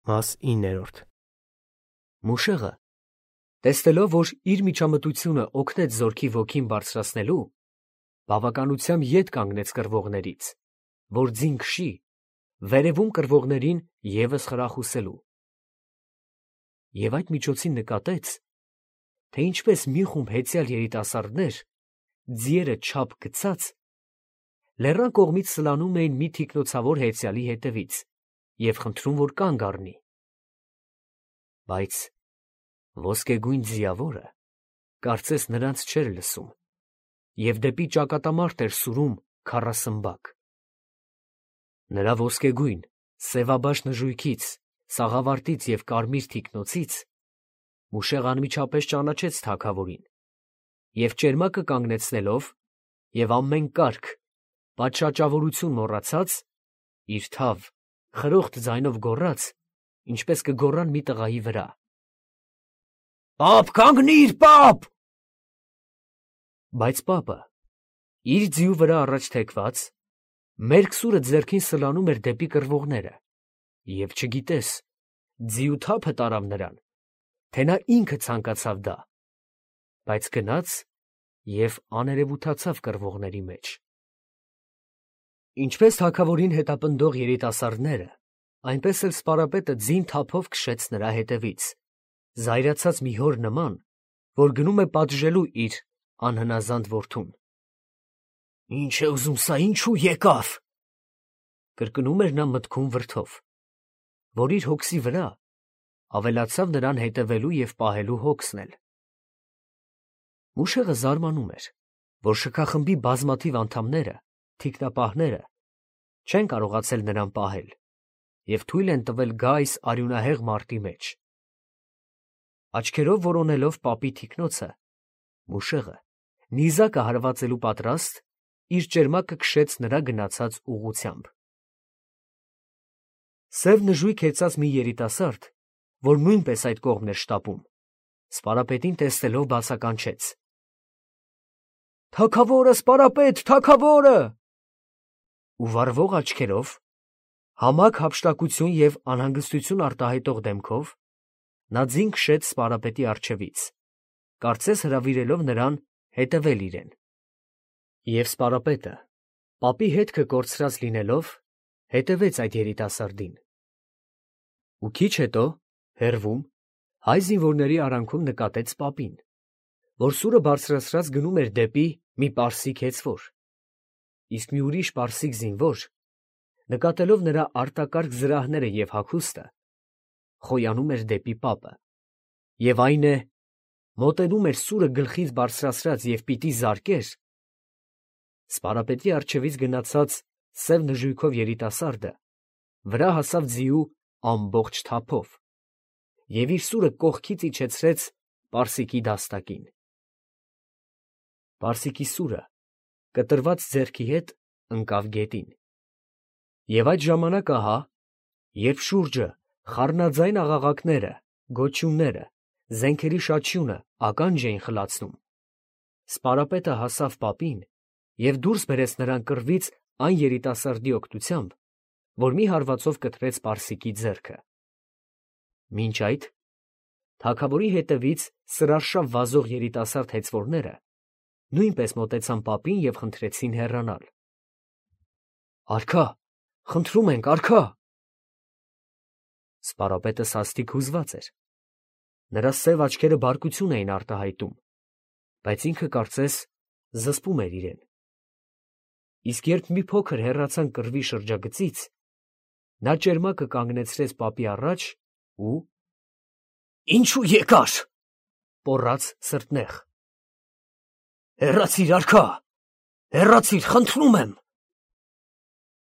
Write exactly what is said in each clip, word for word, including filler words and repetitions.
Մաս իններորդ Մուշեղը, տեսնելով, որ իր միջամտությունը օգնեց զորքի ոգին բարձրացնելու, բավականությամբ ետ կանգնեց կռվողներից, որ ձին քշի, վերևում կռվողներին ևս խրախուսելու։ Եվ այդ միջոցին նկատեց, թե ինչպես մի խումբ հեծյալ երիտասարդներ, ձիերը չափ գցած, լեռան կողմից սլանում էին մի թիկնոցավոր հեծյալի հետևից և խնդրում, որ կանգ առնի։ Բայց ոսկեգույն ձիավորը կարծես նրանց չէր լսում և դեպի ճակատամարտ էր սուրում քառասմբակ։ Նրա ոսկեգույն, սևաբաշ նժույգից, սաղավարտից և կարմիր թիկնոցից Մուշեղն անմիջապես ճանաչեց թագավորին և ճերմակը կանգնեցնելով և ամեն կարգ, պատշաճավորություն մոռացած, իր թավ, խրոխտ ձայնով գոռաց, ինչպես կգոռան մի տղայի վրա. «Պա՛պ, կանգնի՛ր, պա՛պ»։ Բայց պապը, իր ձիու վրա առաջ թեքված, մերկ սուրը ձեռքին սլանում էր դեպի կռվողները և չգիտես, ձիու թափը տարավ նրան, թե նա ինքը ցանկացավ դա, բայց գնաց և աներևութացավ կռվողների մեջ։ Ինչպես թագավորին հետապնդող երիտասարդները, այնպես էլ սպարապետը ձին թափով քշեց նրա հետևից, զայրացած մի հոր նման, որ գնում է պատժելու իր անհնազանդ որդուն։ «Ի՞նչ է ուզում սա, ինչո՞ւ եկավ», կրկնում էր նա մտքում վրդով, որ իր հոգսի վրա ավելացավ նրան հետևելու և պահելու հոգսն էլ։ Մուշեղը զարմանում էր, որ շքախմբի բազմաթիվ անդամները, թիկնապահները, չեն կարողացել նրան պահել և թույլ են տվել գա այս արյունահեղ մարտի մեջ։ Աչքերով որոնելով պապի թիկնոցը, Մուշեղը, նիզակը հարվածելու պատրաստ, իր ճերմակը քշեց նրա գնացած ուղղությամբ։ Սև նժույգ հեծած մի երիտասարդ, որ նույնպես այդ կողմն էր շտապում, սպարապետին տեսնելով բացականչեց. «Թագավորը, սպարապետ, թագավորը»։ Ու վառվող աչքերով, համակ հափշտակություն և անհանգստություն արտահայտող դեմքով նա ձին քշեց սպարապետի առջևից, կարծես հրավիրելով նրան հետևել իրեն։ Եվ սպարապետը, պապի հետքը կորցրած լինելով, հետևեց այդ երիտասարդին։ Ու քիչ հետո, հեռվում, հայ զինվորների արանքում նկատեց պապին, որ սուրը բարձրացրած գնում էր դեպի մի պարսիկ հեծվոր, իսկ մի ուրիշ պարսիկ զինվոր, նկատելով նրա արտակարգ զրահները և հագուստը, խոյանում էր դեպի պապը, և այն է, մոտենում էր սուրը գլխից բարձրացրած և պիտի զարկեր, սպարապետի առջևից գնացած սև նժույգով երիտասարդը վրա հասավ ձիու ամբողջ թափով և իր սուրը կողքից իջեցրեց պարսիկի դաստակին։ Պարսիկի սուրը կտրված ձեռքի հետ ընկավ գետին։ Եվ այդ ժամանակ ահա, երբ շուրջը խառնաձայն աղաղակները, գոչյունները, զենքերի շաչյունը ականջ էին խլացնում, սպարապետը հասավ պապին և դուրս բերեց նրան կռվից այն երիտասարդի օգնությամբ, որ մի հարվածով կտրեց պարսիկի ձեռքը։ Մինչ այդ, թագավորի հետևից սրարշավ վազող երիտասարդ հեծվորները նույնպես մոտեցան պապին և խնդրեցին հեռանալ։ «Արքա, խնդրում ենք, արքա»։ Սպարապետը սաստիկ հուզված էր, նրա սև աչքերը բարկություն էին արտահայտում, բայց ինքը կարծես զսպում էր իրեն։ Իսկ երբ մի փոքր հեռացան կռվի շրջագծից, նա ճերմակը կանգնեցրեց պապի առաջ ու «Ինչո՞ւ եկար», պոռաց սրտնեղ։ «Հեռացի՛ր, արքա, հեռացի՛ր, խնդրում եմ»։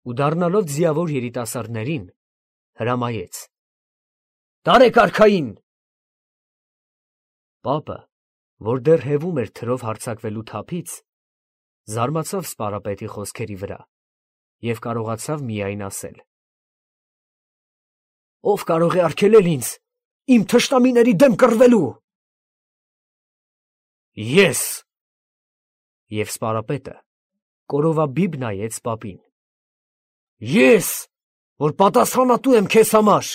Ու դառնալով ձիավոր երիտասարդներին, հրամայեց. «Տարեք արքային»։ Պապը, որ դեռ հևում էր թրով հարձակվելու թափից, զարմացավ սպարապետի խոսքերի վրա և կարողացավ միայն ասել. «Ո՞վ կարող է արգելել ինձ իմ թշնամիների դեմ կռվելու»։ «Ես»։ Եվ սպարապետը կորովաբիբ նայեց պապին։ «Ես, որ պատասխանատու եմ քեզ համար»։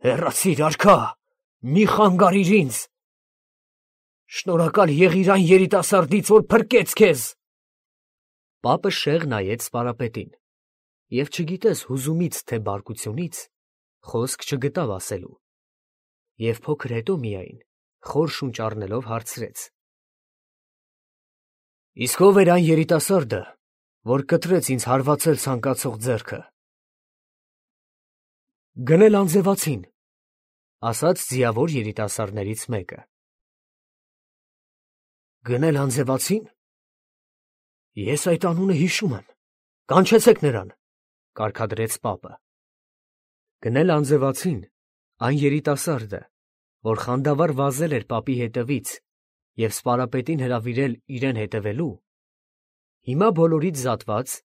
Հեռացիր, արքա, մի խանգարիր ինձ։ Շնորհակալ եղիր այն երիտասարդից, որ փրկեց քեզ։ Պապը շեղ նայեց սպարապետին և չգիտես հուզումից թե բարկությունից խոսք չգտավ ասելու, և փոքր հետո միայն խոր շունչ առնելով հարցրեց. Իսկ ո՞վ էր այն երիտասարդը, որ կտրեց ինձ հարվածել ցանկացող ձեռքը։ Գնել անձևացին, ասաց ձիավոր երիտասարդներից մեկը։ Գնել անձևացին։ Ես այդ անունը հիշում եմ, կանչեցեք նրան, կարգադրեց պապը։ Գնել անձևացին, այն երիտասարդը, որ խանդավառ վազել էր պապի հետևից և սպարապետին հրավիրել իրեն հետևելու, հիմա բոլորից զատված,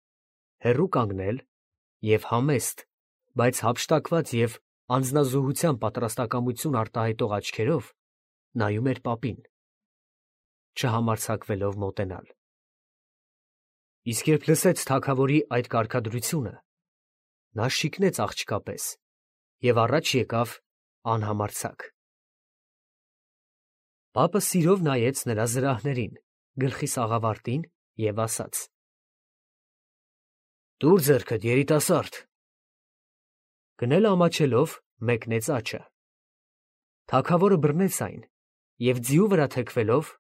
հեռու կանգնել և համեստ, բայց հափշտակված և անձնազոհության պատրաստակամություն արտահայտող աչքերով նայում էր պապին, չհամարձակվելով մոտենալ։ Իսկ երբ լսեց թագավորի այդ կարգադրությունը, նա շիկնեց աղջկա պես և առաջ եկավ անհամարձակ։ Պապը սիրով նայեց նրա զրահներին, գլխի սաղավարտին և ասաց. Տուր ձեռքդ, երիտասարդ։ Գնելը ամաչելով մեկնեց աջը։ Թագավորը բռնեց այն և ձիու վրա թեքվելով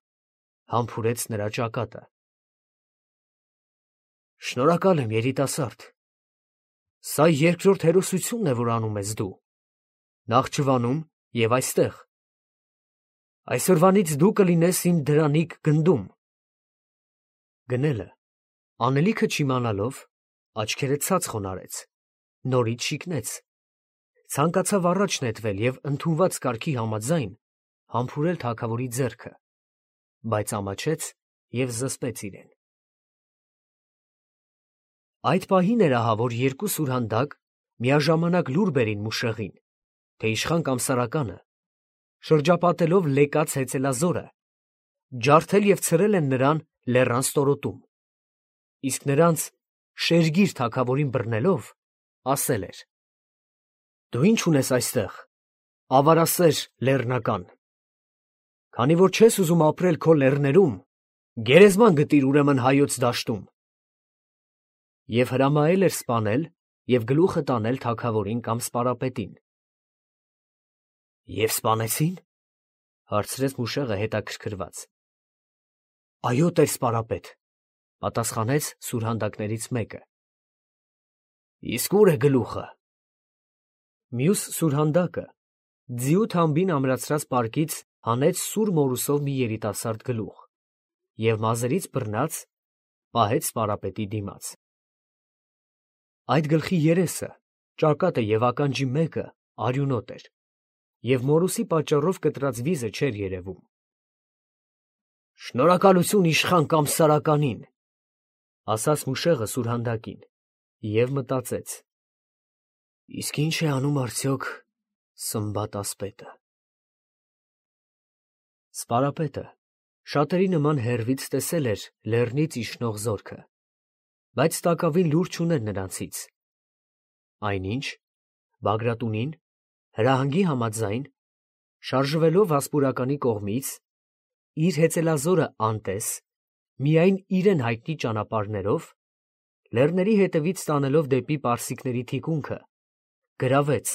համբուրեց նրա ճակատը։ Շնորհակալ եմ, երիտասարդ։ Սա երկրորդ հերոսությունն է, որ անում ես դու, Նախճիվանում և այստեղ։ Այսօրվանից դու կլինես իմ դրանիկ գնդում։ Գնելը, անելիքը չիմանալով, աչքերը ցած խոնարհեց, նորից շիկնեց, ցանկացավ առաջ նետվել և ընդունված կարգի համաձայն համբուրել թագավորի ձեռքը, բայց ամաչեց և զսպեց իրեն։ Այդ պահին էր ահա, որ երկու սուրհանդակ միաժամանակ լուր բերին մուշեղին, թե իշխան կամսարականը, շրջապատելով լեկած հեծելազորը, ջարդել և ցրել են նրան լեռան ստորոտում, իսկ նրանց շերգիր թագավորին բռնելով, ասել էր. «Դու ի՞նչ ունես այստեղ, ավարասեր լեռնական, քանի որ չես ուզում ապրել քո լեռներում, գերեզման գտիր ուրեմն հայոց դաշտում»։ Եվ հրամայել էր սպանել և գլուխը տանել թագավորին կամ սպարապետին։ Եվ սպանեցի՞ն, հարցրեց մուշեղը հետաքրքրված։ Այո, տեր֊սպարապետ, պատասխանեց սուրհանդակներից մեկը։ Իսկ ո՞ւր է գլուխը։ Մյուս սուրհանդակը ձիու թամբին ամրացրած պարկից հանեց սուր մորուսով մի երիտասարդ գլուխ և մազերից բռնած պահեց սպարապետի դիմաց։ Այդ գլխի երեսը, ճակատը և ականջի մեկը արյունոտ էր, և մորուսի պատճառով կտրած վիզը չէր երևում։ Շնորհակալություն իշխան Կամսարականին, ասաց մուշեղը սուրհանդակին և մտածեց. իսկ ի՞նչ է անում արդյոք Սմբատ ասպետը։ Սպարապետը շատերի նման հեռվից տեսել էր լեռնից իջնող զորքը, բայց տակավին լուր չուներ նրանցից, այնինչ Բագրատունին հրահանգի համաձայն, շարժվելով Վասպուրականի կողմից, իր հեծելազորը անտես, միայն իրեն հայտնի ճանապարհներով, լեռների հետևից տանելով դեպի պարսիկների թիկունքը, գրավեց,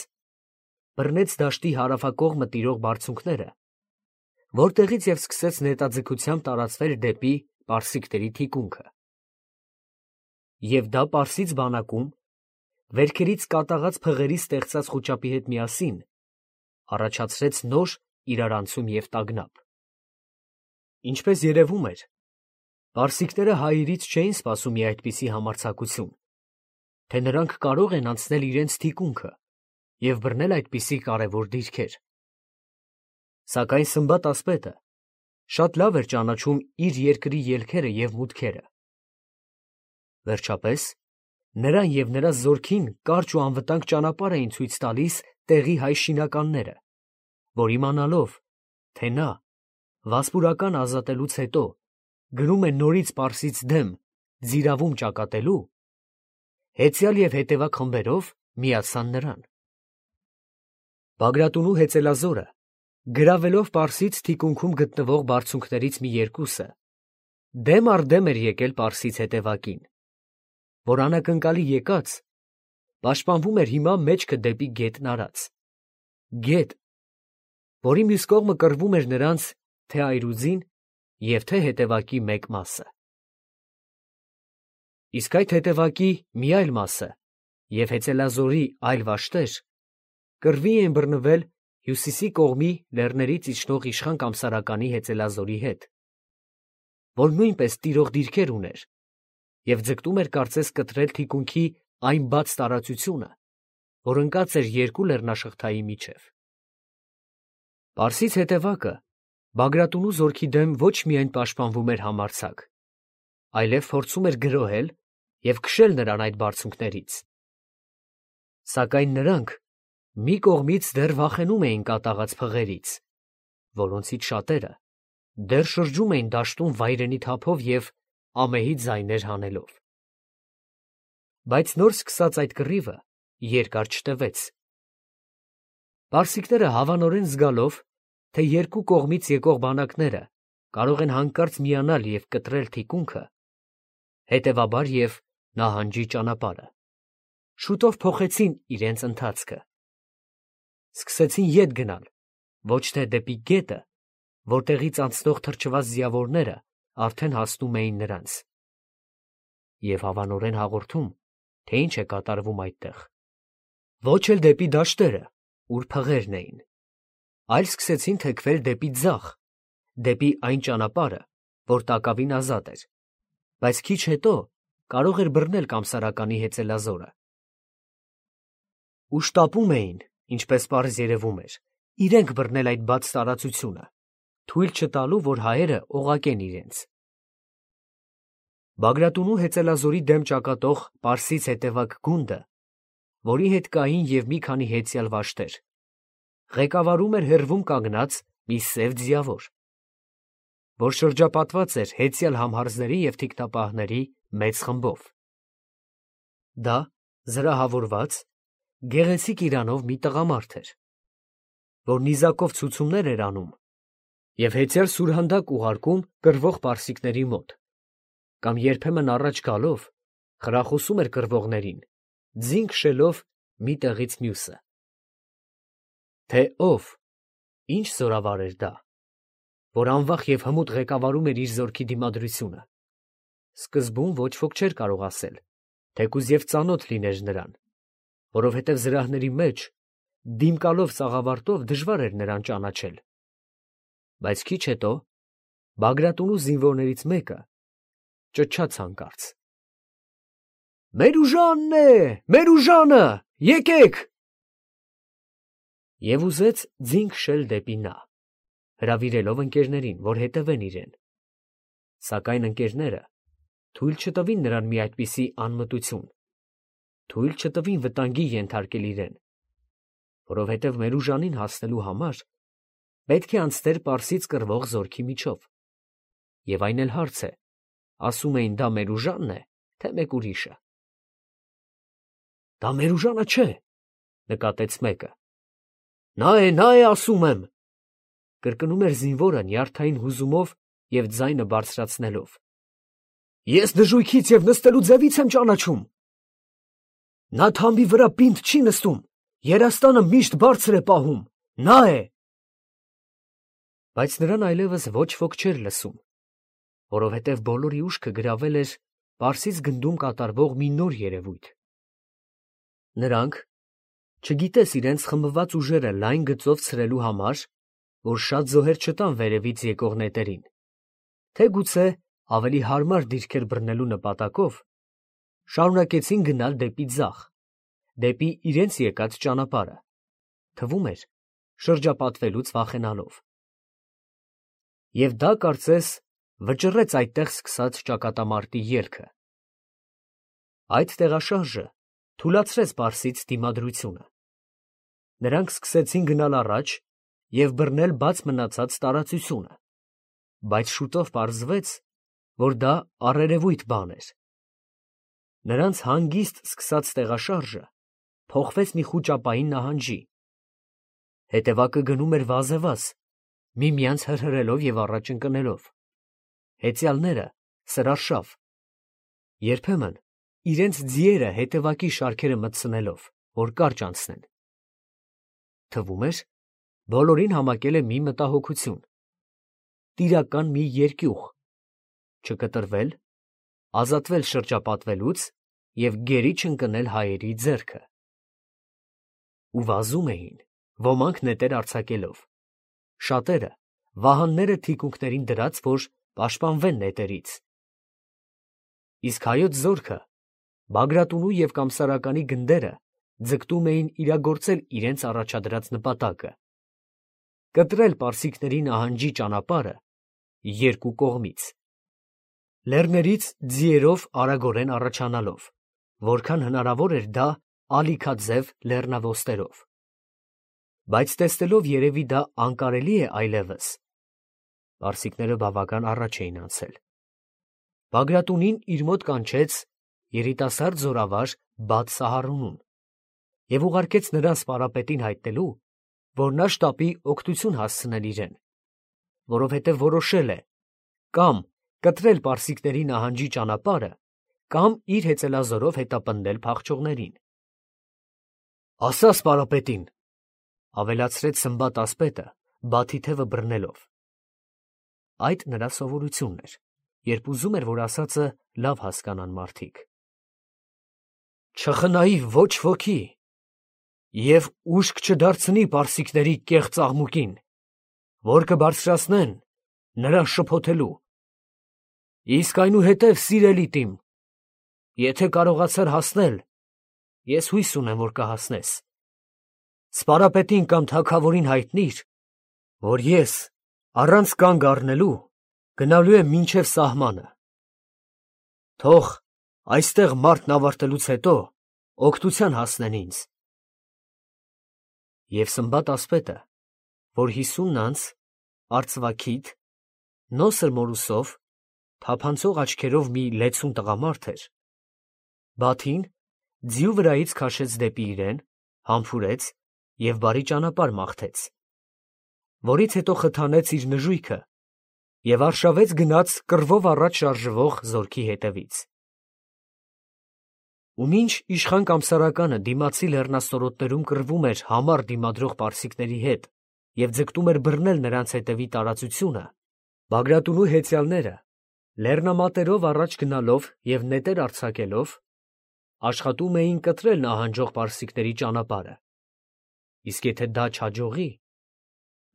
բռնեց դաշտի հարավակողմը տիրող բարձունքները, որտեղից և սկսեց նետաձգությամբ տարածվել դեպի պարսիկների թիկունքը։ Եվ դա պարսից բանակում, վերքերից կատաղած փղերի ստեղծած խուճապի հետ միասին, առաջացրեց նոր իրարանցում և տագնապ։ Ինչպես երևում էր, պարսիկները հայերից չէին սպասում մի այդպիսի համարձակություն, թե նրանք կարող են անցնել իրենց թիկունքը և բռնել այդպիսի կարևոր դիրքեր։ Սակայն Սմբատ ասպետը շատ լավ էր ճանաչում իր երկրի ելքերը և մուտքերը։ Վերջապես, նրան և նրա զորքին կարճ ու անվտանգ ճանապարհ էին ցույց տալիս տեղի հայ շինականները, որ իմանալով, թե նա, Վասպուրականը ազատելուց հետո, գնում է նորից պարսից դեմ ձիրավում ճակատելու, հեծյալ և հետևակ խմբերով միացան նրան։ Բագրատունու հեծելազորը, գրավելով Պարսից թիկունքում գտնվող բարձունքներից մի երկուսը, դեմ առ դեմ էր եկել Պարսից հետևակին, որ անակնկալի եկած, պաշտպանվում էր հիմա մեջքը դեպի գետն արած, գետ, որի մյուս կողմը կռվում էր նրանց թե այրուձին և թե հետևակի մեկ մասը։ Իսկ այդ հետևակի մի այլ մասը և հեծելազորի այլ վաշտեր կռվի էին բռնվել հյուսիսի կողմի լեռներից իջնող իշխան կամսարականի հեծելազորի հետ, որ նույնպես տիրող դիրքեր ուներ և ձգտում էր կարծես կտրել թիկունքի այն բաց տարածությունը, որ ընկած էր երկու լեռնաշղթայի միջև։ Պարսից հետևակը Բագրատունու զորքի դեմ ոչ միայն պաշտպանվում էր համարձակ, այլև փորձում էր գրոհել և քշել նրան այդ բարձունքներից։ Սակայն նրանք մի կողմից դեռ վախենում էին կատաղած փղերից, որոնցից շատերը դեռ շրջում էին դաշտում վայրենի թափով և ամեհի ձայներ հանելով։ Բայց նոր սկսած այդ կռիվը երկար չտևեց։ Պարսիկները հավանորեն զգալով, թե երկու կողմից եկող բանակները կարող են հանկարծ միանալ և կտրել թիկունքը, հետևաբար և նահանջի ճանապարհը, շուտով փոխեցին իրենց ընթացքը։ Սկսեցին ետ գնալ, ոչ թե դեպի գետը, որտեղից անցնող թրջված ձիավորները արդեն հասնում էին նրանց, և հավանորեն հաղորդում, թե ինչ է կատարվում այդտեղ, ոչ էլ դեպի դաշտերը, ուր փղերն էին, այլ սկսեցին թեքվել դեպի ձախ, դեպի այն ճանապարհը, որ տակավին ազատ էր, բայց քիչ հետո կարող էր բռնել կամսարականի հեծելազորը։ Ու շտապում էին, ինչպես պարզ երևում էր, իրենք բռնել այդ բաց տարածությունը, թույլ չտալու, որ հայերը օղակեն իրենց։ Բագրատունու հեծելազորի դեմ ճակատող պարսից հետևակ գունդը, որի հետ կային և մի քանի հեծյալ վաշտեր, ղեկավարում էր հեռվում կանգնած մի սև ձիավոր, որ շրջապատված էր հեծյալ համհարձների և թիկնապահների մեծ խմբով։ Դա զրահավորված, գեղեցիկ իրանով մի տղամարդ էր, որ նիզակով ցուցումներ էր անում և հեծյալ սուրհանդակ ուղարկում կռվող պարսիկների մոտ, կամ երբեմն առաջ գալով խրախուսում էր կռվողներին, ձին քշելով մի տեղից մյուսը։ Թե ով, ինչ զորավար էր դա, որ անվախ և հմուտ ղեկավարում էր իր զորքի դիմադրությունը, սկզբում ոչ ոք չէր կարող ասել, թեկուզ և ծանոթ լիներ նրան, որովհետև զրահների մեջ, դիմկալով սաղավարտով դժվար էր նրան ճանաչել։ Բայց քիչ հետո Բագրատունու զինվորներից մեկը ճչաց հանկարծ. «Մեր ուժանն է, մեր ուժանը, եկեք»։ Եվ ուզեց ձին քշել դեպի նա, հրավիրելով ընկերներին, որ հետևեն իրեն, սակայն ընկերները թույլ չտվին նրան մի այդպիսի անմտություն, թույլ չտվին վտանգի ենթարկել իրեն, որովհետև Մերուժանին հասնելու համար պետք է անցներ Պարսից կռվող զորքի միջով, և այն էլ հարց է, ասում էին դա Մերուժանն է, թե մեկ ուրիշը։ Դա Մերուժանը չէ, նկատեց մեկը։ Նա է, նա է, ասում եմ, կրկնում էր զինվորը նյարդային հուզումով և ձայնը բարձրացնելով։ Ես դժույքից և նստելու ձևից եմ ճանաչում։ Նա թամբի վրա պինդ չի նստում, երաստանը միշտ բարձր է պահում, նա է։ Բայց նրան այլևս ոչ ոք չէր լսում, որովհետև բոլորի ուշքը գրավել էր Պարսից գնդում կատարվող մի նոր երևույթ։ Նրանք, չգիտես իրենց խմբված ուժերը լայն գծով ցրելու համար, որ շատ զոհեր չտան վերևից եկող նետերին, թե գուցե ավելի հարմար դիրքեր բռնելու նպատակով, շարունակեցին գնալ դեպի ձախ, դեպի իրենց եկած ճանապարհը, թվում էր շրջապատվելուց վախենալով։ Եվ դա կարծես վճռեց այդտեղ սկսած ճակատամարտի ելքը։ Այդ տեղաշարժը թուլացրեց Պարսից դիմադրությունը։ Նրանք սկսեցին գնալ առաջ և բռնել բաց մնացած տարածությունը, բայց շուտով պարզվեց, որ դա առերևույթ բան էր։ Նրանց հանգիստ սկսած տեղաշարժը փոխվեց մի խուճապային նահանջի, Հետևակը գնում էր վազևազ, միմյանց հրհրելով և առաջ ընկնելով, հեծյալները սրարշավ, երբեմն իրենց ձիերը հետևակի շարքերը մտցնելով, որ կարճ անցնեն։ Թվում էր, բոլորին համակել է մի մտահոգություն, տիրական մի երկյուղ, չկտրվել, ազատվել շրջապատվելուց և գերի չընկնել հայերի ձեռքը։ Ու վազում էին, ոմանք նետեր արձակելով, շատերը վահանները թիկունքներին դրած, որ պաշտպանվեն նետերից։ Իսկ հայոց զորքը, Բագրատունու և Կամսարականի գնդերը ձգտում էին իրագործել իրենց առաջադրած նպատակը՝ կտրել պարսիկների նահանջի ճանապարհը երկու կողմից, լեռներից ձիերով արագորեն առաջանալով, որքան հնարավոր էր դա ալիքաձև լեռնաոստերով։ Բայց տեսնելով երևի դա անկարելի է այլևս, պարսիկները բավական առաջ էին անցել։ Բագրատունին իր մոտ կանչեց երիտասարդ զորավար Բաթ Սահարունուն և ուղարկեց նրան սպարապետին հայտնելու, որ նա շտապի օգնություն հասցնել իրեն, որովհետև որոշել է կամ կտրել պարսիկների նահանջի ճանապարհը, կամ իր հեծելազորով հետապնդել փախչողներին։ ֊ Ասա սպարապետին, ֊ ավելացրեց Սմբատ ասպետը, բաթի թևը բռնելով. այդ նրա սովորությունն էր, երբ ուզում էր, որ ասածը լավ հասկանան մարդիկ։ Չխնայի ոչ ոքի և ուշք չդարձնի պարսիկների կեղծ աղմուկին, որ կբարձրացնեն նրան շփոթելու։ Իսկ այնուհետև, սիրելիդ իմ, եթե կարողացար հասնել, ես հույս ունեմ, որ կհասնես, սպարապետին կամ թագավորին հայտնիր, որ ես առանց կանգ առնելու գնալու եմ մինչև սահմանը։ Թող այստեղ մարտն ավարտելուց հետո օգնության հասնեն ինձ։ Եվ Սմբատ ասպետը, որ հիսուն անց, արծվաքիթ, նոսր մորուսով, թափանցող աչքերով մի լեցուն տղամարդ էր, Բաթին ձիու վրայից քաշեց դեպի իրեն, համբուրեց և բարի ճանապարհ մաղթեց, որից հետո խթանեց իր նժույգը և արշավեց գնաց կռվով առաջ շարժվող զորքի հետևից։ Ու մինչ իշխան Կամսարականը դիմացի լեռնաստորոտներում կռվում էր համառ դիմադրող պարսիկների հետ և ձգտում էր բռնել նրանց հետևի տարածությունը, Բագրատունու հեծյալները, լեռնամատերով առաջ գնալով և նետեր արձակելով, աշխատում էին կտրել նահանջող պարսիկների ճանապարհը, իսկ եթե դա չհաջողի,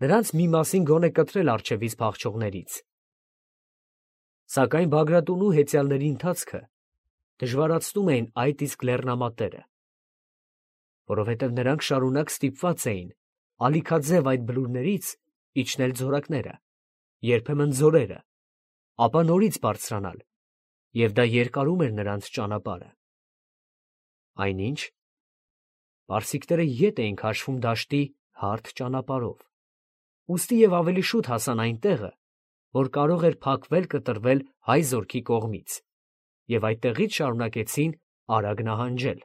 նրանց մի մասին գոնե կտրել առջևից փախչողներից։ Սակայն Բագրատունու հեծյալների ընթացքը դժվարացնում էին այդ իսկ լեռնամատերը, որովհետև նրանք շարունակ ստիպված էին ալիքաձև այդ բլուրներից իջնել ձորակները, երբեմն ձորերը, ապա նորից բարձրանալ, և դա երկարում էր նրանց ճանապարհը։ Այնինչ, պարսիկները ետ էին քաշվում դաշտի հարթ ճանապարհով, ուստի և ավելի շուտ հասան այն տեղը, որ կարող էր փակվել կտրվել հայ զորքի կողմից, և այդտեղից շարունակեցին արագ նահանջել։